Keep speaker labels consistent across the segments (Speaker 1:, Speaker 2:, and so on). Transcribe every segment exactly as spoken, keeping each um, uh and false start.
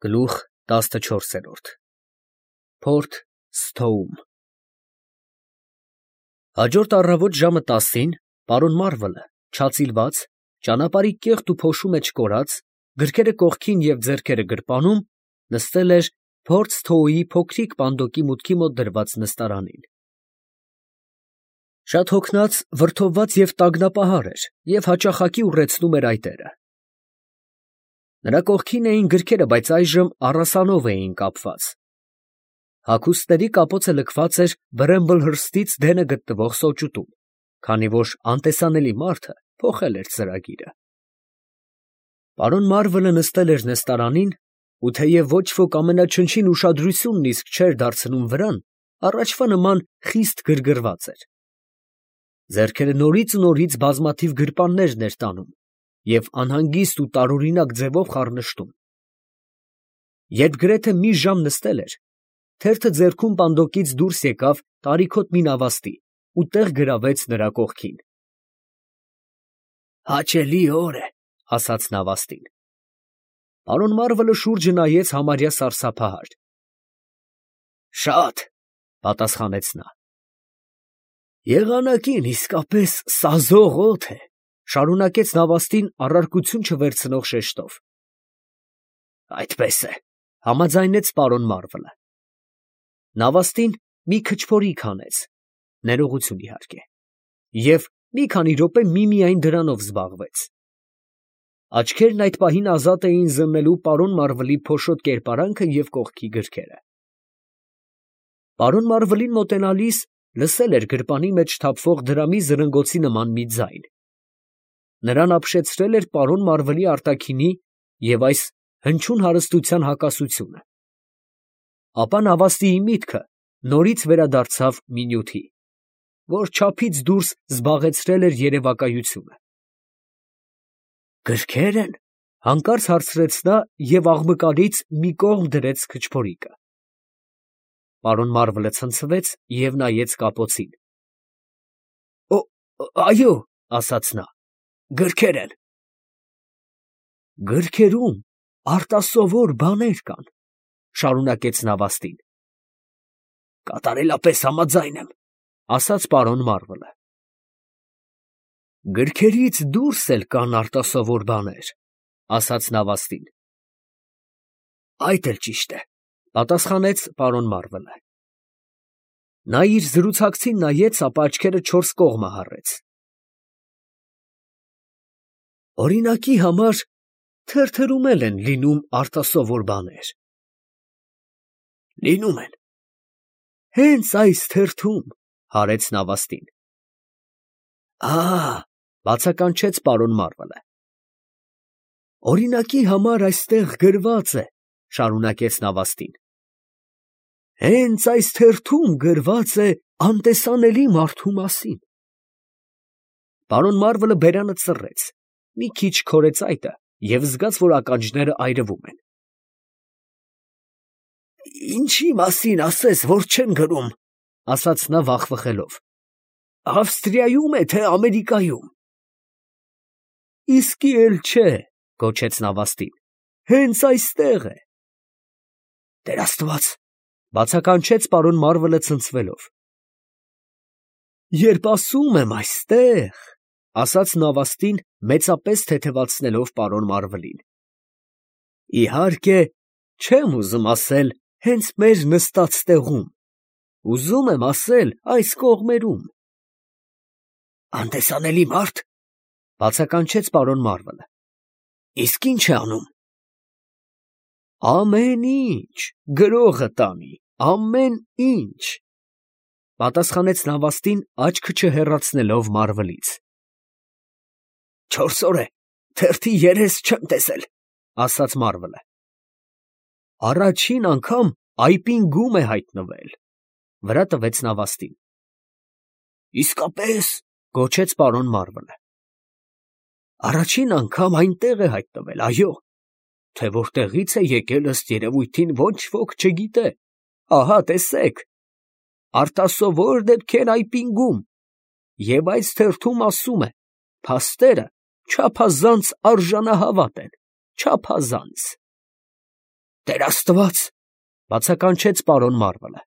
Speaker 1: Գլուխ տասնչորսերորդ Փորթ Սթոում Հաջորդ առավոտ ժամը տասին պարոն Մարվելը, չածիլված, ճանապարհի կեղտ ու փոշու մեջ կորած, գրքերը կողքին և ձեռքերը գրպանում, նստել էր Փորթ Սթոուի փոքրիկ պանդոկի մուտքի մոտ դրված նստարանին. Շատ հոգնած, վրդովված և տագնապահար էր և հաճախակի ուռեցնում էր այտերը. նրա կողքին էին գրքերը, բայց այժմ առասանով էին կապված. հագուստների կապոցը լքված էր բրեմբլ հրստից դենը գտնվող սոճուտում, քանի որ անտեսանելի մարդը փոխել էր ծրագիրը։ Պարոն Մարվելը նստել էր նստարանին, ու թեև ոչ ոք ամենաչնչին ուշադրությունն իսկ չէր դարձնում վրան, առաջվա նման խիստ գրգռված էր. ձեռքերը նորից ու նորից բազմաթիվ գրպաններ էր տանում և անհանգիստ ու տարօրինակ ձևով խառնշտում։ Երբ գրեթե մի ժամ նստել էր, թերթը ձեռքում պանդոկից դուրս եկավ տարիքոտ մի նավաստի ու տեղ գրավեց նրա կողքին։ «Հաճելի օր է, ֊ ասաց նավաստին։ Պարոն Մարվելը շուրջը նայեց համարյա սարսափահար։ «Շատ, ֊ պատասխանեց նա։ Եղանակին իսկապես սազող օդ է, ֊ շարունակեց նավաստին առարկություն չվերցնող շեշտով։ Այդպես է, ֊ համաձայնեց պարոն Մարվելը։ Նավաստին մի քչփորիկ հանեց, ներողություն իհարկե, և մի քանի րոպե միմիայն դրանով զբաղվեց։ Աչքերն այդ պահին ազատ էին զննելու պարոն Մարվելի փոշոտ կերպարանքը և կողքի գրքերը։ Պարոն Մարվելին մոտենալիս լսել էր գրպանի մեջ թափվող դրամի զրնգոցի նման մի ձայն։ Նրան ապշեցրել էր պարոն Մարվելի արտաքինի և այս հնչյուն հարստության հակասությունը։ Ապա նավաստիի միտքը նորից վերադարձավ մի նյութի, որ չափից դուրս զբաղեցրել էր երևակայությունը։ «Գրքե՞ր են, ֊ հանկարծ հարցրեց նա և աղմկալից մի կողմ դրեց քչփորիկը։ Պարոն Մարվելը ցնցվեց և նայեց կապոցին։ Այո, ֊ ասաց նա, ֊ գրքեր են։ Գրքերում արտասովոր բաներ կան, ֊ շարունակեց նավաստին։ Կատարելապես համաձայն եմ, ֊ ասաց պարոն Մարվելը։ Գրքերից դուրս էլ կան արտասովոր բաներ, ֊ ասաց նավաստին։ Այդ էլ ճիշտ է, ֊ պատասխանեց պարոն Մարվելը։ Նա իր զրուցակցին նայեց, ապա աչքերը չորս կողմը հառեց։ Օրինակի համար թերթերում էլ են լինում արտասովոր բաներ։ Լինում են։ Հենց այս թերթում, ֊ հարեց նավաստին։ Ահա, ֊ բացականչեց պարոն Մարվելը։ Օրինակի համար այստեղ գրված է, ֊ շարունակեց նավաստին։ Հենց այս թերթում գրված է անտեսանելի մարդու մասին։ Պարոն Մարվելը բերանը ծռեց, մի քիչ քորեց այտը և զգաց, որ ականջները այրվում են։ Ինչի մասին ասես, որ չեն գրում, ֊ ասաց նա վախվխելով, ֊ Ավստրիայում է, թե Ամերիկայում։ Իսկի էլ չէ, ֊ գոչեց նավաստին, հենց այստեղ է։ Տեր Աստված, ֊ բացականչեց պարոն Մարվելը ցնցվելով։ Երբ ասում եմ այստեղ, ֊ ասաց նավաստին մեծապես թեթևացնելով պարոն Մարվելին, իհարկե չեմ ուզում ասել հենց մեր նստած տեղում, ուզում եմ ասել այս կողմերում։ Անտեսանելի մարդ, ֊ բացականչեց պարոն Մարվելը։ Իսկ ի՞նչ է անում։ Ամեն ինչ, գրողը տանի, ամեն ինչ, ֊ պատասխանեց նավաստին աչքը չհեռացնելով Մարվելից։ Չորս օր է, թերթի երես չեմ տեսել, ֊ ասաց Մարվելը։ Առաջին անգամ այպին գում է հայտնվել, ֊ վրա տվեց նավաստին։ Իսկապես, ֊ գոչեց պարոն Մարվելը։ Առաջին անգամ այնտեղ է հայտնվել, այո, թե որտեղից է եկել ըստ երևույթին ոչ ոք չգիտե, ահա տեսեք, արտասովոր դեպքեր այպին գում, և այս թերթում ասում է, փաստերը չափազանց արժանահավատ են, չափազանց։ Տեր Աստված, բացականչեց պարոն Մարվելը։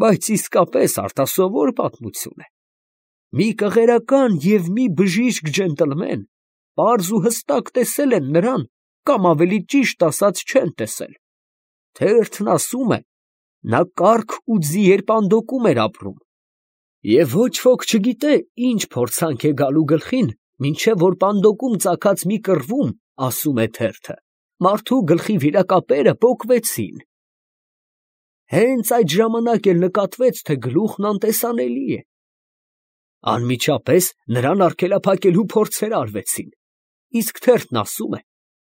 Speaker 1: Բայց իսկապես արտասովոր պատմություն է։ Մի կղերական և մի բժիշկ ջենտլմեն պարզ ու հստակ տեսել են նրան, կամ ավելի ճիշտ ասած չեն տեսել։ Թերթն ասում է, նա կառք ու ձիերպանդոկում էր ապրում, և ոչ ոք չգիտե ինչ փորձանք է գալու գլխին, մինչև որ պանդոկում ծագած մի կռվում, ասում է թերթը, մարդու գլխի վիրակապերը պոկվեցին։ Հենց այդ ժամանակ էլ նկատվեց, թե գլուխն անտեսանելի է։ Անմիջապես նրան արգելափակելու փորձեր արվեցին, իսկ թերթն ասում է,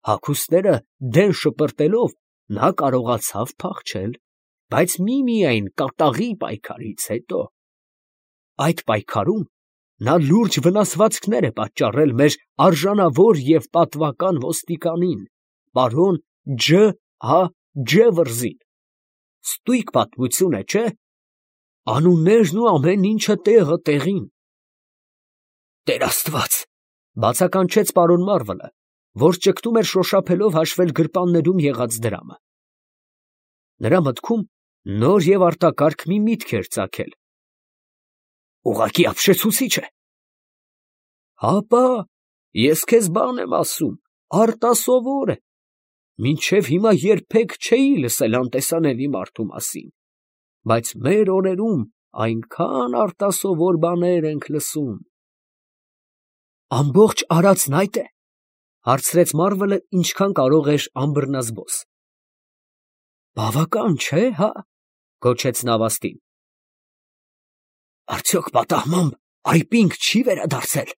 Speaker 1: հագուստները դեն շպրտելով նա կարողացավ փախչել, բայց միմիայն կատաղի պայքարից հետո։ Այդ պայքարում նա լուրջ վնասվածքներ է պատճառել մեր արժանավոր և պատվական ոստիկանին, պարոն Ջ. Ա. Ջևրզին։ Ստույգ պատմություն է, չէ՞։ Անուններն ու ամեն ինչը տեղը տեղին։ Տեր Աստված, բացականչեց պարոն Մարվելը, որ ճգտում էր շոշափելով հաշվել գրպաններում եղած դրամը։ Նրա մտքում նոր և արտակարգ մի միտք էր ծագել։ Ուղղակի ապշեցուցիչ է։ Հապա, ես քեզ բան եմ ասում, արտասովոր է։ Մինչև հիմա երբեք չէի լսել անտեսանելի մարդու մասին, բայց մեր օրերում այնքան արտասովոր բաներ ենք լսում։ Ամբողջ արածն այդ է, հարցրեց Մարվելը, ինչքան կարող էր անբռնազբոս։ Բավական չէ, հա, գոչեց Նավաստին։ Արդյոք պատահմամբ այպինք չի վերադարձել,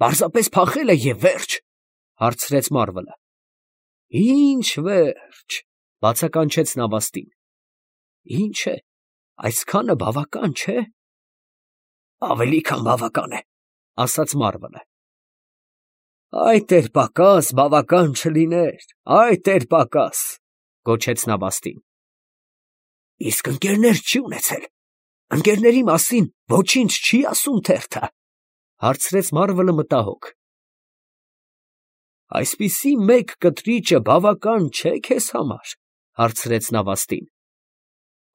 Speaker 1: պարզապես փախել է և վերջ, հարցրեց Մարվելը։ Ինչ վերջ, բացականչեց Նավաստին։ Ինչ է, այսքանը բավական չէ։ Ավելի քան բավական է, ասաց Մարվելը։ Այդ էր պակաս, բավական չլիներ, այդ էր պակաս, գոչեց Նավաստին։ Իսկ ընկերներ չի ունեցել, ընկերների մասին ոչինչ չի ասում թերթը, հարցրեց Մարվելը մտահոգ։ Այսպիսի մեկ կտրիճը բավական չէ քեզ համար, հարցրեց Նավաստին։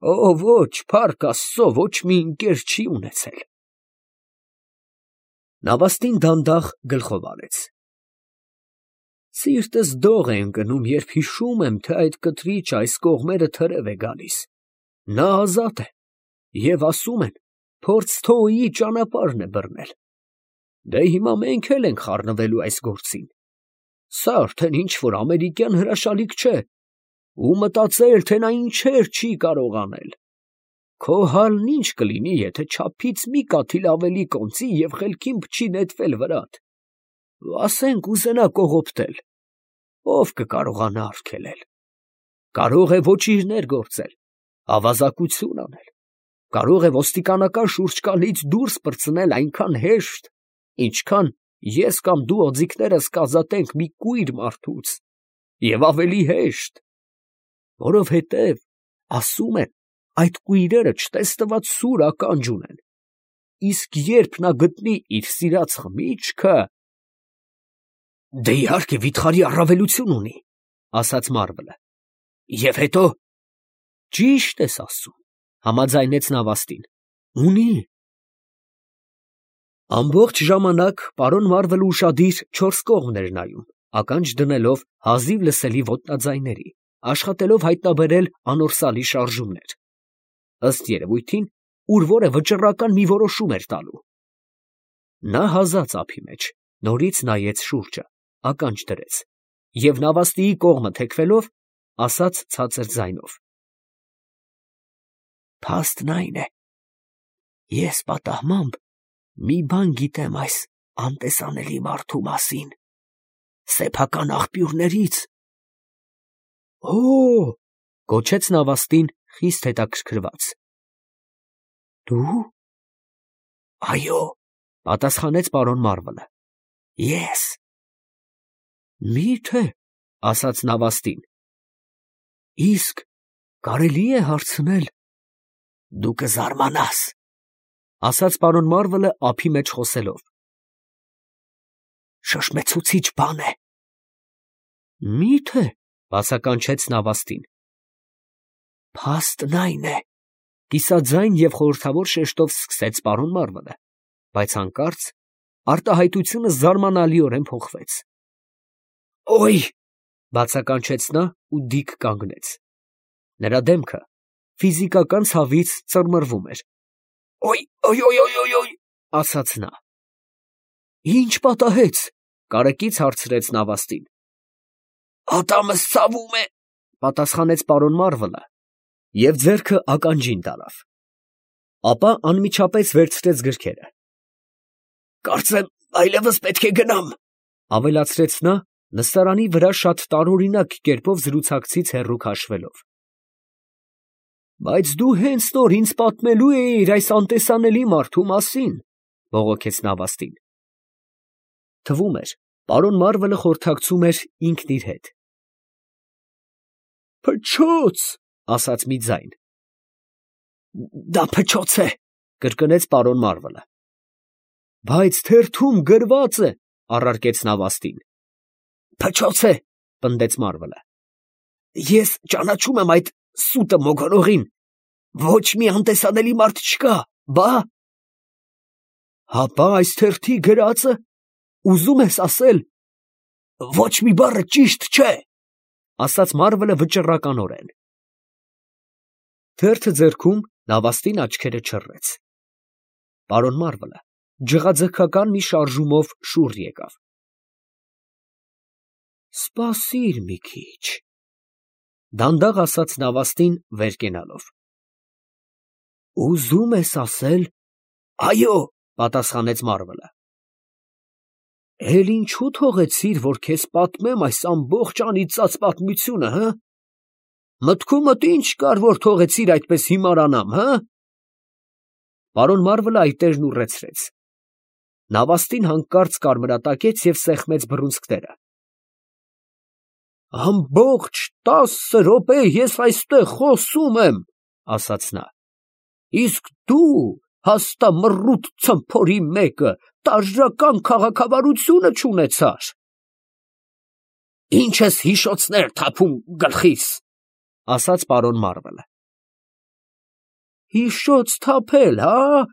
Speaker 1: Օ, ոչ, փառք Աստծո, ոչ մի ընկեր չի ունեցել։ Նավաստին դանդաղ գլխով արեց։ Սիրտս դող է ընկնում, երբ հիշում եմ, թե այդ կտրիճը այս կողմերը թրև է գալիս։ Նա ազատ է, և ասում են, փորձ Թոյի ճանապարհն է բռնել։ Դե հիմա մենք էլ ենք խառնվելու այս գործին։ Սա արդեն ինչ-որ ամերիկյան հրաշալիք չէ, ու մտածել, թե նա ինչեր չի կարող անել։ Քո հալն ինչ կլինի, եթե չափից մի կաթիլ ավելի կոնծի և խելքին փչի նետվել վրատ։ Ասենք ուզենա կողոպտել, ով կկարողանա արգելել։ Կարող է ոչիրներ գործել, ավազակություն անել, կարող է ոստիկանական շուրջկալից դուրս պրծնել այնքան հեշտ, ինչքան ես կամ դու օձիքներս կազատենք մի կույր մարդուց, և ավելի հեշտ, որովհետև, ասում են, այդ կույրերը չտեսնված սուր ականջ ունեն, իսկ երբ նա գտնի իր սիրած խմիչքը… Դե իհարկե վիթխարի առավելություն ունի, ասաց Մարվելը, և հետո… Ճիշտ ես ասում, համաձայնեց Նավաստին, ունի։ Ամբողջ ժամանակ պարոն Մարվելը ուշադիր չորս կողմն էր նայում, ականջ դնելով հազիվ լսելի ոտնաձայների, աշխատելով հայտնաբերել անորսալի շարժումներ։ Ըստ երևույթին, ուր որը վճռական մի որոշում էր տալու։ Նա հազաց ափի մեջ, նորից նայեց շուրջը, ականջ դրեց, և Նավաստիի կողմը թեքվելով, ասաց ցածր ձայնով. Փաստն այն է, ես պատահմամբ մի բան գիտեմ այս անտեսանելի մարդու մասին, սեփական աղբյուրներից։ Օ՜, գոչեց Նավաստին խիստ հետաքրքրված։ Դու։ Այո, պատասխանեց պարոն Մարվելը։ Ես։ Մի՞թե, ասաց Նավաստին։ Իսկ կարելի է հարցնել։ Դու կզարմանաս, ասաց պարոն Մարվելը ափի մեջ խոսելով։ Շշմեցուցիչ բան է։ Մի՞թե, Բացականչեց Նավաստին։ Փաստն այն է, կիսաձայն և խորհրդավոր շեշտով սկսեց պարոն Մարվելը, բայց հանկարծ արտահայտությունը զարմանալիորեն փոխվեց։ Օй! Բացականչեց նա ու դիկ կանգնեց։ Նրա դեմքը ֆիզիկական ցավից ծռմռվում էր։ Օй, օй, օй, օй, օй, օй, ասաց նա։ Ինչ պատահեց, կարեկից հարցրեց Նավաստին։ Ատամս ցավում է, պատասխանեց պարոն Մարվելը և ձեռքը ականջին տարավ։ Ապա անմիջապես վերցրեց գրքերը։ Կարծեմ այլևս պետք է գնամ, ավելացրեց նա, նստարանի վրա շատ տարօրինակ կերպով զրուցակցից հեռու քաշվելով։ Բայց դու հենց նոր ինձ պատմելու էիր այս անտեսանելի մարդու մասին, բողոքեց Նավաստին։ Թվում էր, պարոն Մարվելը խորհրդակցում էր ինքն իր հետ։ Փչոց, ասաց մի ձայն։ Դա փչոց է, կրկնեց պարոն Մարվելը։ Բայց թերթում գրված է, առարկեց Նավաստին։ Փչոց է, պնդեց Մարվելը։ Ես ճանաչում եմ այդ սուտը մոգոնողին, ոչ մի անտեսանելի մարդ չկա, բա։ Հապա այս թերթի գրածը, ուզում ես ասել, ոչ մի բառը ճիշտ չէ, ասաց Մարվելը վճռականորեն։ Թերթը ձեռքում Նավաստին աչքերը չռեց։ Պարոն Մարվելը ջղաձգական մի շարժումով շուռ եկավ։ Սպասիր մի քիչ, դանդաղ ասաց Նավաստին վեր կենալով։ Ուզում ես ասել, այո, պատասխանեց Մարվելը։ Էլ ինչու թողեցիր, որ քեզ պատմեմ այս ամբողջ անիծած պատմությունը, հը։ Մտքումդ ինչ կար, որ թողեցիր այդպես հիմարանամ, հը։ Պարոն Մարվելը այտերն ուռեցրեց։ Նավաստին հանկարծ կարմրատակեց և սեղմեց բռունցքները։ Ամբողջ տասը րոպե ես այստեղ խոսում եմ, ասաց նա, իսկ դու, հաստամռութ ցմփորի մեկը, տարրական քաղաքավարությունը չունեցար։ Ինչ ես հիշոցներ թափում գլխիս, ասաց պարոն Մարվելը։ Հիշոց թափել, հա,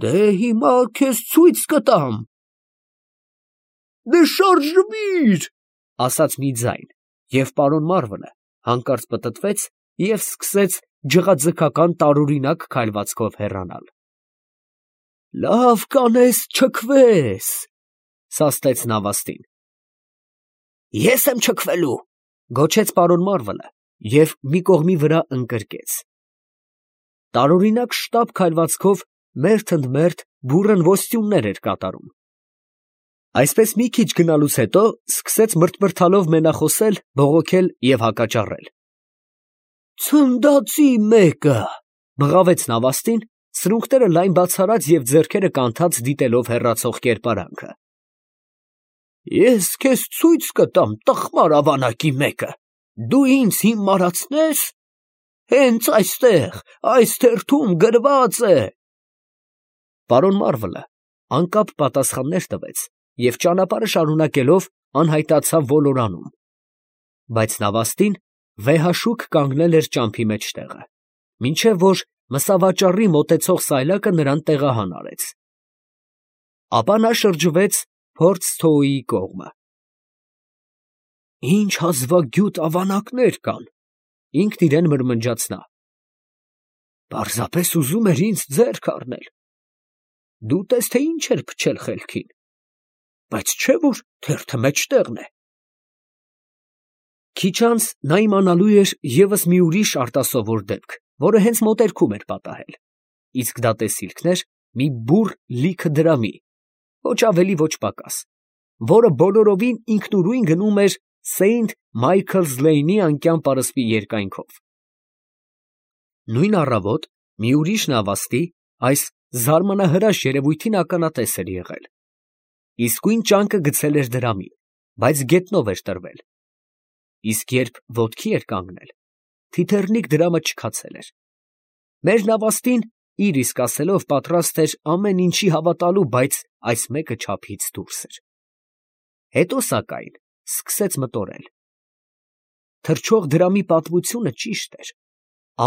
Speaker 1: դե հիմա քեզ ցույց կտամ։ Դե շարժվիր, ասաց մի ձայն, և պարոն Մարվելը հանկարծ պտտվեց և սկսեց ջղաձգական տարօրինակ քայլվածքով հեռանալ։ Լավ կանես չքվես, սաստեց Նավաստին։ Ես եմ չքվելու, գոչեց պարոն Մարվելը և մի կողմի վրա ընկրկեց։ Տարօրինակ շտապ քայլվածքով մերթ ընդ մերթ բուռն ոստյուններ էր կատարում։ Այսպես մի քիչ գնալուց հետո սկսեց մրթմրթալով մենախոսել, բողոքել և հակաճառել։ Ցնդացի մեկը, բղավեց Նավաստին, սրունքները լայն բացարած և ձեռքերը կանթած դիտելով հեռացող կերպարանքը։ Ես քեզ ցույց կտամ, տխմար ավանակի մեկը, դու ինձ հիմարացնես, հենց այստեղ, այս թերթում գրված է։ Պարոն Մարվելը անկապ պատասխաններ տվեց և ճանապարհը շարունակելով անհայտացավ ոլորանում, բայց Նավաստին վեհաշուկ կանգնել էր ճամփի մեջտեղը, մինչև որ մսավաճառի մոտեցող սայլակը նրան տեղահան արեց։ Ապա նա շրջվեց փորձ Թոյի կողմը։ Ինչ հազվագյուտ ավանակներ կան, ինքն իրեն մրմնջաց նա։ Պարզապես ուզում էր ինձ ձեռք առնել։ Դու տես, թե ինչ էր փչել խելքին, բայց չէ՞ որ թերթը մեջտեղն է։ Քիչ անց նա իմանալու էր ևս մի ուրիշ արտասովոր դեպք, որը հենց մոտերքում էր պատահել, իսկ դա տեսիլքն էր մի բուռ լիքը դրամի, ոչ ավելի ոչ պակաս, որը բոլորովին ինքնուրույն գնում էր Սեյնթ Մայքլս Լեյնի անկյան պարսպի երկայնքով։ Նույն առավոտ մի ուրիշ նավաստի այս զարմանահրաշ երևույթին ականատես էր եղել։ Իսկույն ճանկը գցել էր դրամին, բայց գետնով էր տրվել։ Իսկ երբ ոտքի էր կանգնել, թիթեռնիկ դրամը չքացել էր։ Մեր նավաստին իր իսկ ասելով պատրաստ էր ամեն ինչի հավատալու, բայց այս մեկը չափից դուրս էր։ Հետո սակայն սկսեց մտորել։ թռչող դրամի պատմությունը ճիշտ էր.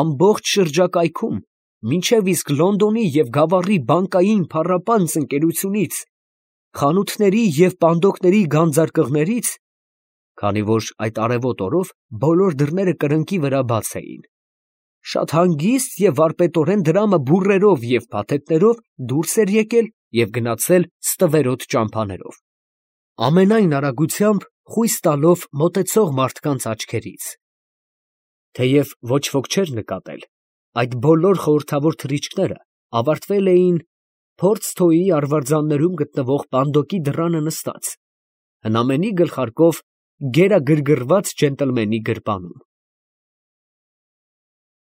Speaker 1: ամբողջ շրջակայքում, մինչև իսկ Լոնդոնի և Գավառի բանկային փառապանծ ընկերությունից, խանութների և պանդոկների գանձարկղներից, քանի որ այդ արևոտ օրով բոլոր դռները կրկնակի վրա բաց էին, շատ հանգիստ և վարպետորեն դրամը բուռերով և փաթեթներով դուրս էր եկել և գնացել ստվերոտ ճամփաներով, ամենայն արագությամբ խույս տալով մոտեցող մարդկանց աչքերից. թեև ոչ ոք չէր նկատել, այդ բոլոր խորհրդավոր թռիչքները ավարտվել էին Փորձթոյի արվարձաններում գտնվող պանդոկի դռանը նստած, հնամենի գլխարկով գերագրգռված ջենտլմենի գրպանում։